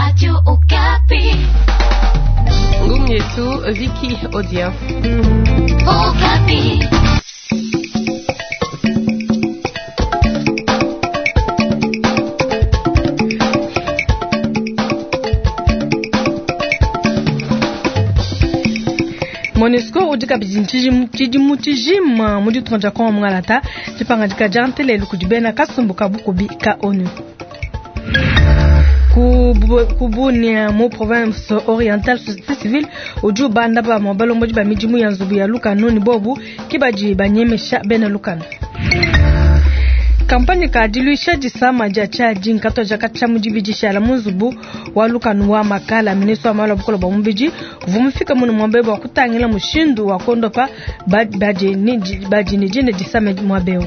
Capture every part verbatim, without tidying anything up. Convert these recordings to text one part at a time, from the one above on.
Radio Okapi. Ngumu yetu Vicky Odia. Okapi. MONUSCO udi kabidi tshidimu tshijima mu ditunga dia Kongo mungalata dipangadika dia ntelelu kudi bena kasumbu ka bukubi ka ONU. Ku Bunia mu province orientale société civile udi ubanda bamue balombodi ba midimu ya nzubu ya lukanu ne bobu ke badi banyemesha bena lukanu. Kampanye ka diluisha disama dia tshiadi nkatoja katshia mu dibidi shala mu nzubu wa lukanu wa makala. Ministre wa malu a bukole bua mubidi uvua mufike munu muaba bua kutangila mushindu wa kondopa badi ne dine disama muaba eu.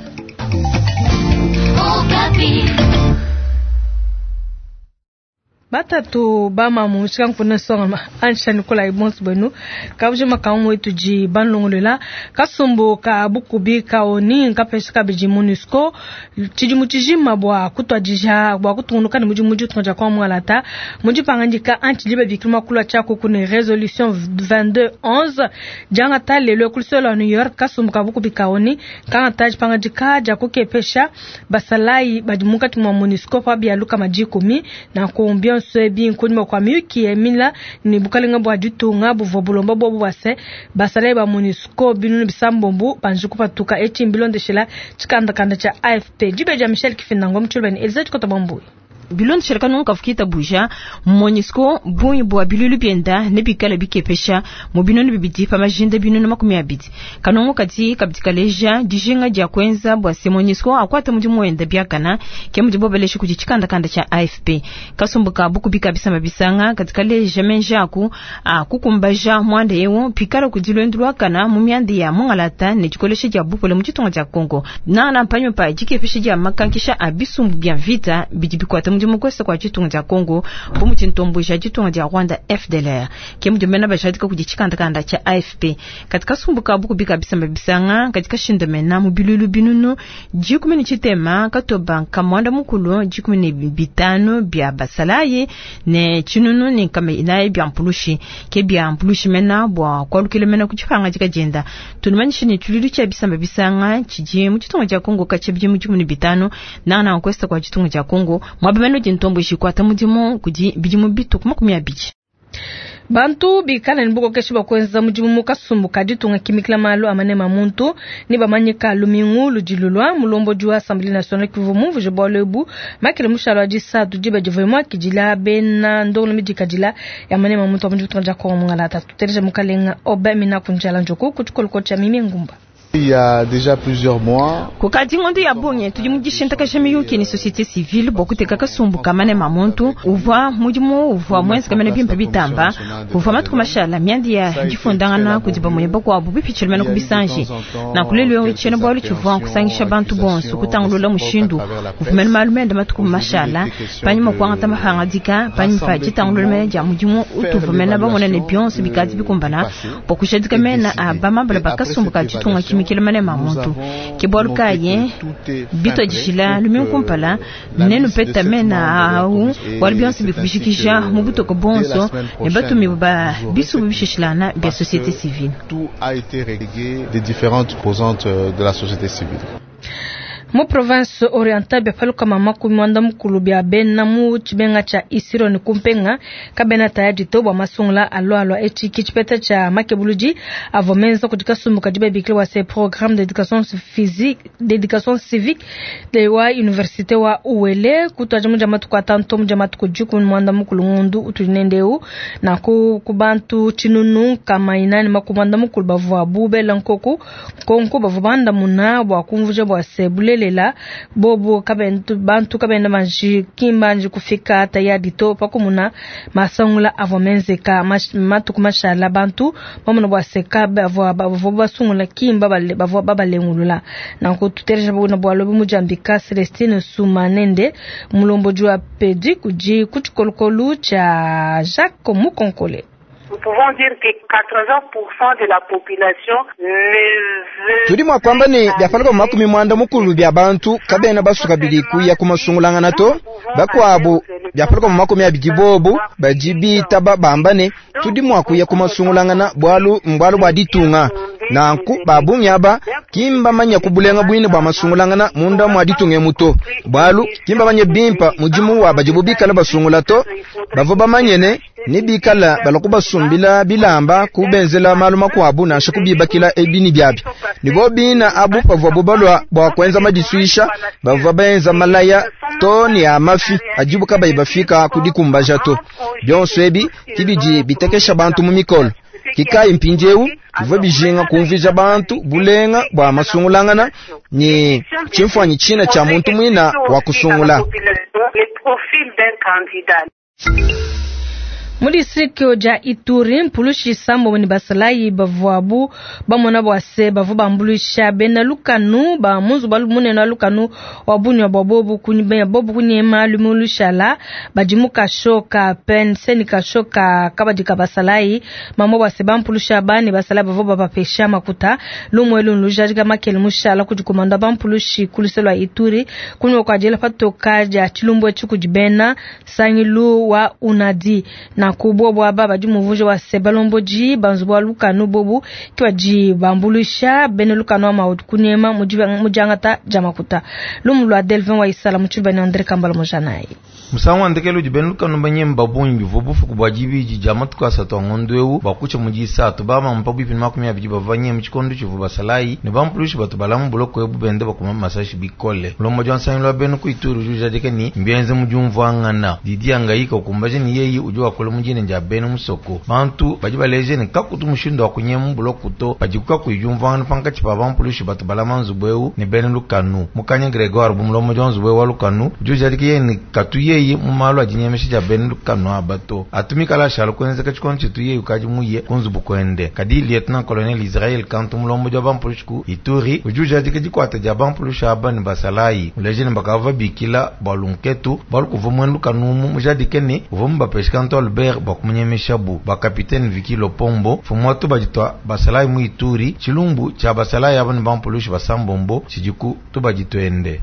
Batatu bamamu mushika nkuna songa ansha Nikolai bonso bwenu kabuji makamu wetu ji banlongolela kasumbu ka bukubi ka ONU nkapesha kabidi MONUSCO tshidimu tshijima bua kutwadija bua kutungunuka ne mudimu ditunga dia Kongo mungalata mu dipangadika anti libe bikiluma kulua tshiaku kune resolution vingt-deux onze diangata lelo ku lusolo lua New York. Kasumbu ka bukubi ka ONU kangata dipangadika dia kukepesha basalayi badi munkatshi mua MONUSCO pa bialuka madikumi na kumbia sebi nkunyima kwa miyuki emila ni bukalenga bua ditunga buvua bulomba bobu bwase basalayi ba MONUSCO binunu bisambombu banji kupatuka etshi mbilondeshela tshikandakanda tshia A F P. Dibe dia Michel Kifindango mutshilubeni Elisa Tshikota Bambuyi. Bilondeshela kanungu kafukita buja MONUSCO bungi bua bilulu bienda ne bikala bikepesha mu binunu bibidi pa majinda binunu makumi abidi. Kanungu kati kabidi kaleja dijinga dia kuenza bua se MONUSCO akwata mudimu wenda biakana ke mudibo balesha kudi tshikandakanda tshia A F P. Kasumbu ka bukubi kabisa mabisanga katika leja menjaku a kukumbaja mwanda eu pikala kudi lwendu lwakana mu mianda ya mungalata ne dikolesha dia bupole mu ditunga dia Kongo. Na na mpanyo pa dikepesha dia makankisha a bisumbu bia vita bidi bikwata mudimu kwesa kwa ditunga dia Kongo bu mutintombo ja ditunga dia Rwanda F D L R ke mudimena bajadika kudi tshikandakanda tshia A F P. Katika sumbuka bukubi kabisa mabisanga katika shindamena mu bilulu binunu dikumi ne tshitema katoba nkamwanda mukulu dikumi ne bitano bia basalayi ne tshinunu ne nkama inayi bia mpulushi ke bia mpulushi mena bua kualukila mena ku tshipanga dikajenda. Tunumanyishe ne tshilulu tshia bisamba bisanga tshidi mu ditunga dia Kongo katshia bidimu dikumi ne bitano nana nkwesta kwa ditunga dia Kongo mwaba meno dintombo jikwata mudimu kudi bidimu bitu kuma makumi abidi. Bantu bikala ni bukokeshi bwa kuenza mudimu mu kasumbu ka ditunga kimikila malu amane ma muntu ni bamanyika lumingu ludilulwa mulombodi wa Assemblée nationale kivu mumvuje bwalo ebu makele mushalo wa disatu diba divoyemwa kidila bena ndongolo midikadila ya mane ma muntu wa mudimu dia Kongo mungalata tuteleja mukalenga oba mina kunjala njoko kutshikoloko tsha mimi ngumba. Il y a déjà plusieurs mois. Kukadi ngondo ya bunye tudi mudishintaka miyuki ni société civile bokuteka kasumbu kamane mamuntu uvwa mudimu uvwa mwenzi kamene bimpe bitamba uvwa matuku mashala myandi ya difundangana kudi bamoye bakwabu bipichilmena kubisanje na kulelwe chena bwalu chivwa kusangisha bantu bonso kutangulula mushindu uvumena malumende matuku mashala panyuma kwangata mahangadika panyuma jitangulula mena ja mudimu utuvumena bamona ne bionso bikadi bikumbana bokushadika mena abamambala bakasumbu ka ditunga kimi kilemane mamuntu ke bwalu kaye bito dishila lumingu kumpala nenu peta mena au bwalu bionso bikubishikisha mu butoko bonso ne batumi ba bisu bishishilana bia société civile. Tout a été réglé des différentes composantes de la société civile. Mu province orientale bia paluka mama kumwanda mukulu bia bena mu tshibenga tsha Isiro ne kumpenga kabena tayadi to bua masungula alwa alwa etshi ki tshipeta tsha makebuludi avua menza kudi kasumbu kadi babikile wa se programme d'éducation physique d'éducation civique de wa université wa Uele kutwaja muja matuku atanu muja matuku dikumi mwanda mukulu ngundu utudi nendeu na ku kubantu tshinunu kama inani makumwanda mukulu bavua bubela nkoku nkonko bavua bandamuna bua kumvuja bua se bulele lela bobo kabentu bantu kabenda manji kimbanji kufika tayadi to pakumuna masangula avua menzeka matuku mashala bantu bamuna bua seka bavua bavua basungula kimba bavua babalengulula nanku tutereja buna bua lobi mujambika Celestine Sumanende mulomboji wa pedi kuji kutshikolokolu tsha Jacques Mukonkole. Tudi mua kuamba ne bia makumi muanda mukulu bia bantu kabena basuka bidi kuya ku masungulangana to bakuabu bia makumi abidi bobu badi bitaba bamba ne tudi mua kuya ku masungulangana bwalu mbwalu bwa ditunga nanku babungi aba kimba manya kubulenga bwine bwa masungulangana munda mwa ditunga muto bwalu kimba manya bimpa mudimu wa badibu bikala basungula to bavo bamanyene ni bikala balakubasumbila bilamba kubenzela malu makuabu nansha kubibakila ebini byabi nibo bina abu pavua bubalwa bwa kwenza madisuisha bavua benza malaya to ni amafi ajibu kabayi bafika kudikumbaja to byonso ebi kibidi bitekesha bantu mu mikolo kikai mpindiewu bivua bijinga kumvija bantu bulenga bwa masungulangana ni chimfwanyi china cha muntu mwina wa kusungula. Mu district ja Ituri mpulushi sambo ni basalayi bavuabu bamona bwase bavu bambuluisha bena lukanu ba munzu balu munene wa lukanu wa bunywa bwa bobu kunyibenya bobu kunyema lumushala badimu kashoka penseni kashoka kabadika basalayi mamo bwase bampulusha bani basalayi bavu babapesha makuta lumwe lunluja makele mushala kudikomanda bampulushi kuluselwa Ituri kunywa kwa jela patoka ja chilumbwe chikudibena sangilu wa unadi na kubwa bwa baba di muvuje wa sebalomboji banzu bwa lukanu bobu kiwaji bambulusha bene lukanu ama kunema mujangata jamakuta lumu lwa Delvin wa Isala muchiba ni Andre Kambala mojanai musangu wandekelo jibene lukanu banyemba bungi vubufuku bwa jibiji jamatuka asatu angondwewu bakucha mujisatu bama mpabu ipini makumi abidi bavanye muchikondo chivu basalayi ne bampulushi batu balamu buloko ebu bende bakuma masashi bikole mulombo jwa nsanyi lwa bene ku Ituri jujadike ni mbienze mujumvwangana didi angayika ukumbaje ni yeyi uju wakole mujine nja bene musoko bantu badi baleje ne kakutu mushindo wa kunyemu buloko to badikuka kuyumvwangana pankachi pa bampulushi batu balama nzubu ne bene lukanu mukanya Gregoire bumulomo jwa nzubu wa lukanu jujadike yeni katu yeyi mumalo ajinyemesha ja bene lukanu abato atumikala shalo kwenzeka chikondo chitu yeyi ukaji muye kunzubu kwende kadi lieutenant colonel Israel kantu mulombo jwa bampulushi ku Ituri ujujadike dikwata ja bampulushi aba ne basalayi muleje ne bakava bikila balunketu balukuva mwene lukanu mu mujadike ne uva mubapesha kantu Albert bakumunyemesha bu bakapitene Viki Lopombo fumwatu bajitwa basalayi mu Ituri chilumbu cha basalayi aba ne bampulushi basambombo chijiku tubajitwende.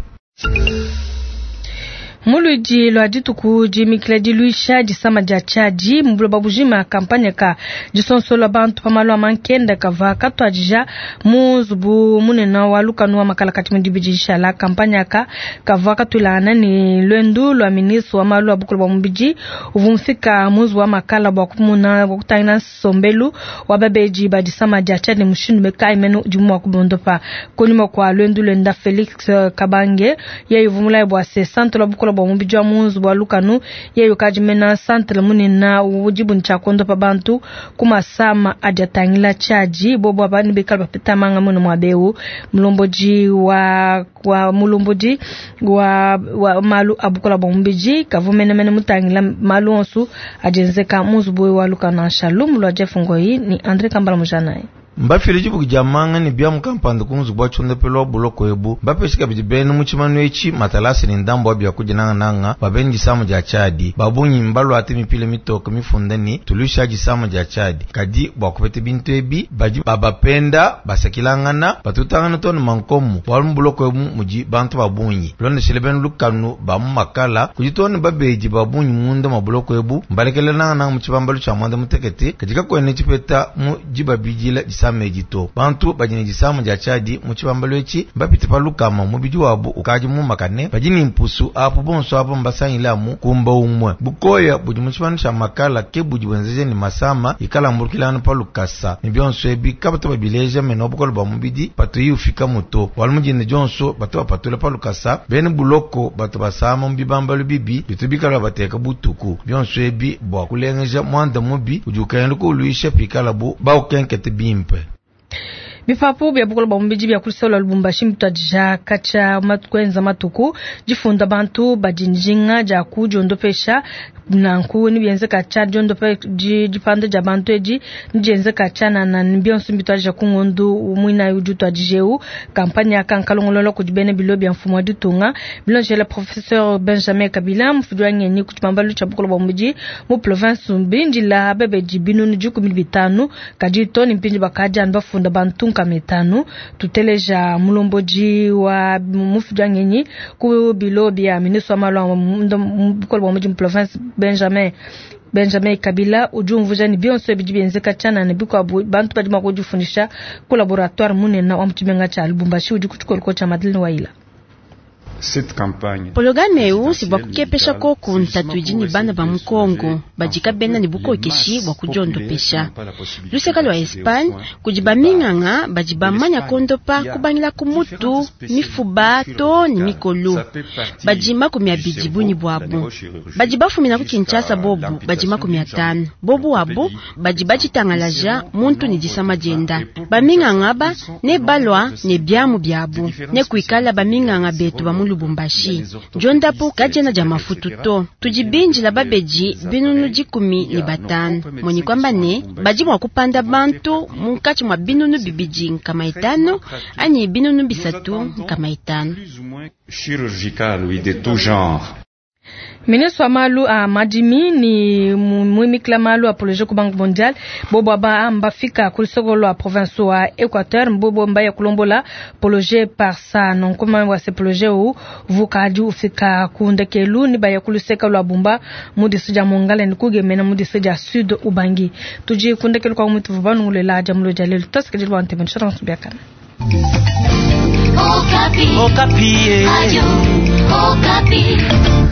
Muludi lwa dituku jimikila diluisha disama dia chaji mbulo babujima kampanya ka disonsola bantu pamalo amankenda kava katwajija muzubu munene wa lukanu wa makala kati mudibijisha kampanya ka kava katulana ni lwendu lwa ministre wa malu abukulu bwa mubiji uvumfika muzu wa makala bwa kumuna bwa kutangina sombelu wa babeji ba disama dia chaji mushindu bekai menu dimu wa kubondopa kunyuma kwa lwendu lwenda Felix Kabange ye uvumula bwa se centre la bukulu bwa mubiji wa munzu bwa lukanu yeyo kajimena santre munena ujibu nchakondo pa bantu kumasama ajatangila chaji bobo abani bekala bapeta manga muno mwabeu mulomboji wa wa mulomboji wa, wa malu abukola bwa mubiji kavumene mene mutangila malu onsu ajenzeka munzu bwe wa lukanu anshalum lwa Jeff Ngoi ni Andre Kambala Mujanai. Mbafile jibuku jamanga ni bya mukampanda kunzu bwa chondepelo buloko ebu mbapeshika bidi bene muchimanu echi matalasi ni ndambo abya kujinanga nanga babeni jisamu ja chadi babunyi mbalu ate mipile mitoko mifunda ni tulusha jisamu ja chadi kadi bwa kupete bintu ebi baji babapenda basakilangana batutangana tonu mankomu bwalu mbuloko ebu muji bantu babunyi londe bene lukanu ba mumakala kujitoni babeji babunyi munda mabuloko ebu mbalekele nanga nanga muchibambalu cha mwanda mutekete katika kwene chipeta mu jibabijila samejito bantu bajini jisamu ja chadi muchibambalo echi mbapite palukama mubiji wabu ukaji mumakane bajini mpusu apo bonso apo mbasanyila kumba umwe bukoya budi muchibano cha makala ke budi bwenzeje ni masama ikala mbulukilano palukasa ni byonso ebi kabatu babileja meno bukolo bwa mubidi patuyi ufika muto walu mujini jonso batu bapatula palukasa bene buloko batu basama mubibambalo bibi bitubikala bateka butuku byonso ebi bwa kulengeja mwanda mubi udi ukaenda kuluisha pikala bu baukenkete bimpe. Bipapu bia bukole bwa mubidi bia kulusolo Lubumbashi mbituadija katshia matuku matuku difunda bantu badi njinga dia kudiondopesha nanku nibienzeka tshia diondope dipanda dia bantu edi nidienzeka tshia nana bionso mbituadija ku ngondu muinayi udi utuadijeu kampanye aka nkalongolola kudi bena bilo bia mfumu wa ditunga bilonjela professeur Benjamin Kabila mufudi wa ngenyi ku tshibambalu tshia bukole bwa mubidi mu province mbindila bebedi binunu dikumi bitanu kadi to ni mpindi bakadi anu bafunda bantu nkama itanu tuteleja mulomboji wa mufudi wa ngenyi ku bilo bia ministre wa malu a bukole bwa mubidi mu province Benjamin Benjamin Kabila udi umvuja ni bionso bidi bienzeka tshianana ne bikuabu bantu badi mua kudifundisha ku laboratoire munene wa mu tshimenga tshia Lubumbashi udi ku tshikoloko tshia Madeleine Waila. Pologame eu si bua kukepesha koku ntatu idi ne bana ba mu Kongo badika bena ne bukokeshi bua kudiondopesha. Luseka lua Espagne kudi baminganga badi bamanya kondopa kubangila ku mutu mifuba to ne mikolo badi makumi abidi bunyi buabu badi bafumina ku Kinshasa bobu badi makumi atanu bobu wabo badi baditangalaja muntu ne disama dienda baminganga ba ne balwa ne biamu biabu ne kuikala baminganga betu ba mu Lubumbashi jondapo kajena ja mafutu to tudibinjila babedi binunu dikumi ne batanu moni kwamba ne badi mua kupanda bantu munkatshi mua binunu bibidi nkama itanu anyi binunu bisatu nkama itanu. Chirurgical oui de tout genre. Ministre wa malu a madimi ni muimikila malu a projet ku Banque mondiale bobo aba mbafika ku lusoko lwa province wa Equateur mbobo mbaya kulombola projet par ça non comment wa ce projet u vukadi ufika kundekelu ni baya kuluseka lwa Bumba mu district ya Mongala ni kugemena mu district ya Sud Ubangi tuji kundekelu kwa mutu vanungulela jamulo jalelu tasikajilwa nteme chance biakana. Okapi. Okapi. Radio Okapi.